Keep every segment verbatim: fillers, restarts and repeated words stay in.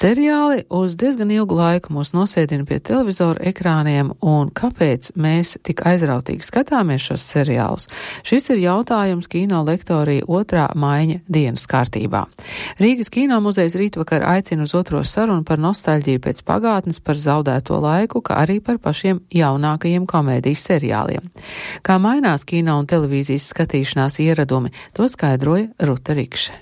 Seriāli uz diezgan ilgu laiku mūs nosēdina pie televizora ekrāniem, un kāpēc mēs tik aizrautīgi skatāmies šos seriālus? Šis ir jautājums kino lektorija otrā maiņa dienas kārtībā. Rīgas kino muzejs rītvakar aicina uz otro sarunu par nostalģiju pēc pagātnes, par zaudēto laiku, kā arī par pašiem jaunākajiem komēdijas seriāliem. Kā mainās kino un televīzijas skatīšanās ieradumi, to skaidroja Ruta Rikše.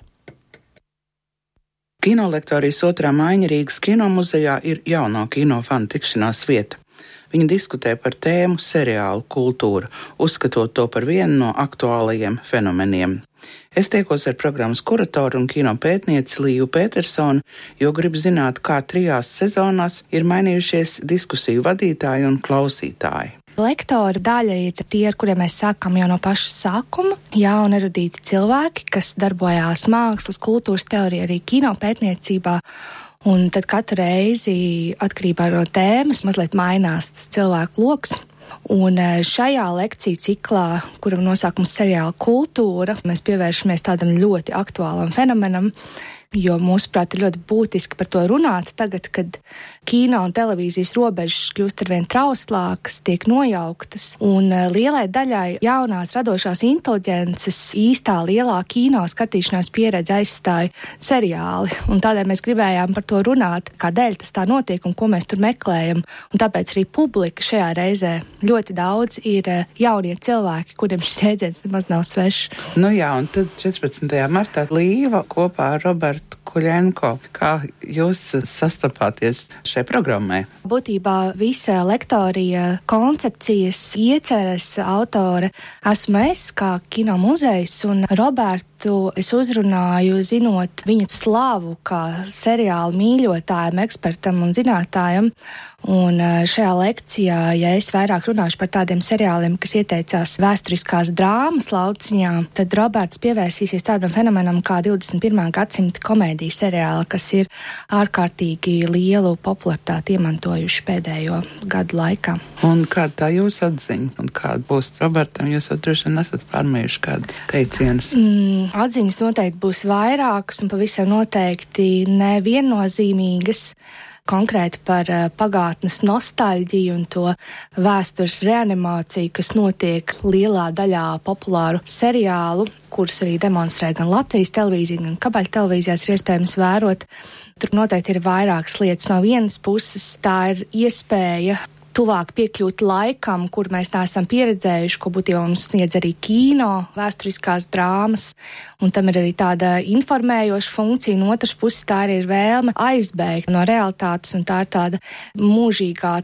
Kino lektorijas otrā maiņa Rīgas kino muzejā ir jauno kino fanu tikšanās vieta. Viņi diskutē par tēmu seriālu kultūru, uzskatot to par vienu no aktuālajiem fenomeniem. Es tiekos ar programmas kuratoru un kino pētnieci Līvu Petersonu, jo gribu zināt, kā trijās sezonās ir mainījušies diskusiju vadītāji un klausītāji. Lektora daļa ir tie, ar kuriem mēs sākam jau no paša sākuma. Jauni erudīti cilvēki, kas darbojās mākslas, kultūras teorijā, arī kino pētniecībā. Un tad katru reizi, atkarībā no tēmas, mazliet mainās tas cilvēku loks. Un šajā lekciju ciklā, kuram nosaukums seriāla kultūra, mēs pievēršamies tādam ļoti aktuālam fenomenam, jo mūsuprāt ir ļoti būtiski par to runāt tagad, kad kino un televīzijas robežas kļūst arvien trauslākas, tiek nojauktas, un lielai daļai jaunās radošās inteliģences īstā lielā kino skatīšanās pieredze aizstāja seriāli, un tādēļ mēs gribējām par to runāt, kādēļ tas tā notiek un ko mēs tur meklējam, un tāpēc arī publika šajā reizē ļoti daudz ir jaunie cilvēki, kuriem šis jēdziens nemaz nav svešs. Nu jā, un tad četrpadsmitajā martā Līva kopā ar Robertu Kuļenko. Kā jūs sastapāties šai programmai? Būtībā visa lektorija koncepcijas ieceres autore esmu es, kā kino muzejs, un Robertu es uzrunāju zinot viņu slavu kā seriālu mīļotājam, ekspertam un zinātājam. Un šajā lekcijā, ja es vairāk runāšu par tādiem seriāliem, kas ieteicās vēsturiskās drāmas lauciņā, tad Roberts pievērsīsies tādam fenomenam kā divdesmit pirmā gadsimta komēdijas seriāli, kas ir ārkārtīgi lielu popularitāti iemantojuši pēdējo gadu laikā. Un kāda tā jūsu atziņa? Un kāda būs Robertam? Jūs jau droši vien esat pārmējuši kādus teicienus. Mm, atziņas noteikti būs vairākas un pavisam noteikti neviennozīmīgas. Konkrēti par pagātnes nostalģiju un to vēstures reanimāciju, kas notiek lielā daļā populāru seriālu, kurus arī demonstrē gan Latvijas televīzija, gan kabaļu televīzijās ir iespējams vērot. Tur noteikti ir vairākas lietas. No vienas puses tā ir iespēja tuvāk piekļūt laikam, kur mēs neesam pieredzējuši, ko būtībā mums sniedz arī kino, vēsturiskās drāmas, un tam ir arī tāda informējoša funkcija, un otras puses tā arī ir vēlme aizbēgt no realitātes, un tā ir tāda mūžīgā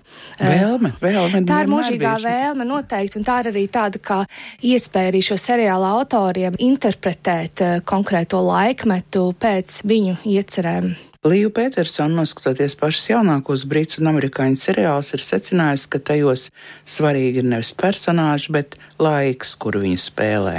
vēlme. vēlme tā ir mūžīgā bijuši. vēlme noteikti, un tā ir arī tāda kā iespēja arī šo seriāla autoriem interpretēt konkrēto laikmetu pēc viņu iecerēm. Līva Petersona, noskatoties pašas jaunākos brītu un amerikāņu seriālus, ir secinājusi, ka tajos svarīgi ir nevis personāži, bet laiks, kuru viņi spēlē.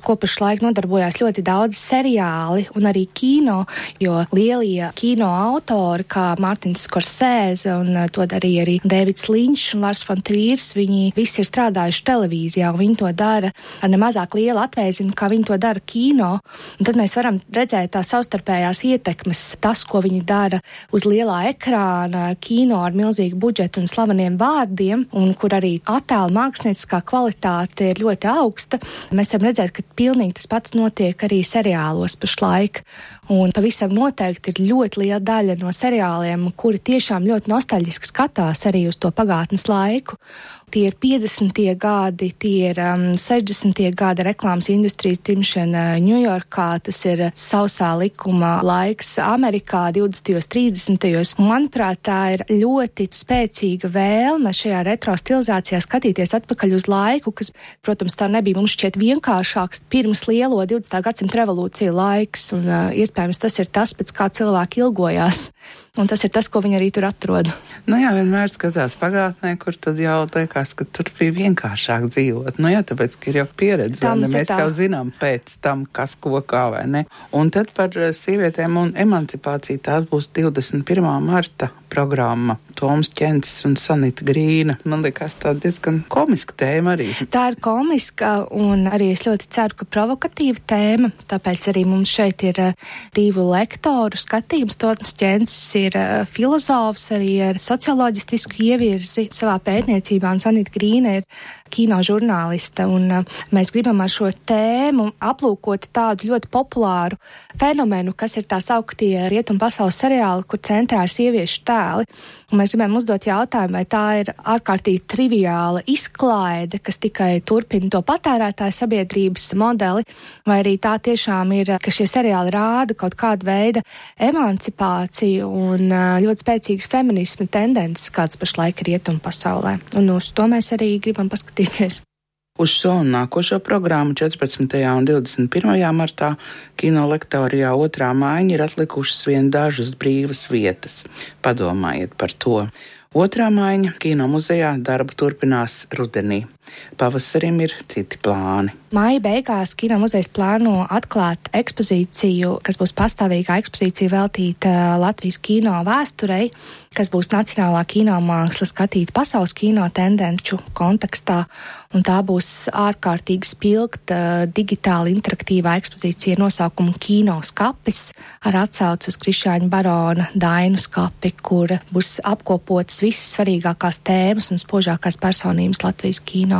Ko pašlaik nodarbojās ļoti daudz seriāli un arī kino, jo lielie kino autori, kā Mārtiņš Skorsēze un to darīja arī Dēvids Linčs un Lars von Trīrs, viņi visi ir strādājuši televīzijā, un viņi to dara ar nemazāk lielu atvēzinu, kā viņi to dara kino. Un tad mēs varam redzēt tās savstarpējās ietekmes, tas, ko viņi dara uz lielā ekrāna, kino ar milzīgu budžetu un slaveniem vārdiem, un kur arī attēla mākslinieckā kvalitāte ir ļoti augsta. Mēs varam redzēt, ka pilnīgi tas pats notiek arī seriālos pašlaik. Un pavisam noteikti ir ļoti liela daļa no seriāliem, kuri tiešām ļoti nostalģiski skatās arī uz to pagātnes laiku. Tie ir piecdesmitie gadi, tie ir um, sešdesmitie gadi reklāmas industrijas dzimšana Ņujorkā, tas ir sausā likuma laiks Amerikā divdesmitajos, trīsdesmitajos. Manuprāt, tā ir ļoti spēcīga vēlme šajā retro stilizācijā skatīties atpakaļ uz laiku, kas, protams, tā nebija mums šķiet vienkāršāks pirms lielo divdesmitā gadsimta revolūcija laiks, un uh, iespējams tas ir tas, pēc kā cilvēki ilgojās. Un tas ir tas, ko viņi arī tur atrod. Nu jā, vienmēr skatās pagātnē, kur tad jau liekas likās, ka tur bija vienkāršāk dzīvot. Nu jā, tāpēc, ka ir jau pieredze, vai ne? Mēs jau zinām pēc tam, kas ko kā, vai ne? Un tad par sievietēm un emancipāciju tās būs divdesmit pirmā marta programma. Toms Čencis un Sanita Grīna. Man liekas, tā diezgan komiska tēma arī. Tā ir komiska un arī es ļoti ceru, ka provokatīva tēma, tāpēc arī mums šeit ir divu lektoru skatījums. Toms Čencis ir filozofs arī ar socioloģistisku ievirzi savā pētniecībā un Sanita Grīna ir kino žurnāliste, un mēs gribam ar šo tēmu aplūkot tādu ļoti populāru fenomenu, kas ir tā sauktie rietumu pasaules seriāli, kur centrā ir sieviešu tēli. Un mēs gribam uzdot jautājumu, vai tā ir ārkārtīgi triviāla izklaide, kas tikai turpina to patērētāju sabiedrības modeli, vai arī tā tiešām ir, ka šie seriāli rāda kaut kādu veidu emancipāciju un ļoti spēcīgas feminisma tendences, kāds pašlaik ir rietumu pasaulē. Un uz to mēs arī gribam paskatīties. Uz šo un nākošo programmu četrpadsmitajā un divdesmit pirmajā martā kino lektorijā otrā mājiņa ir atlikušas vien dažas brīvas vietas. Padomājiet par to. Otrā mājiņa kino muzejā darbu turpinās rudenī. Pavasarim ir citi plāni. Māja beigās kino muzejs plāno atklāt ekspozīciju, kas būs pastāvīgā ekspozīcija veltīta Latvijas kino vēsturei, kas būs nacionālā kino māksla skatīta pasaules kino tendenču kontekstā, un tā būs ārkārtīgi spilgta digitāli interaktīvā ekspozīcija ar nosaukumu Kino skapis, ar atsauci uz Krišjāņa barona Dainu skapi, kur būs apkopotas visas svarīgākās tēmas un spožākās personības Latvijas kino.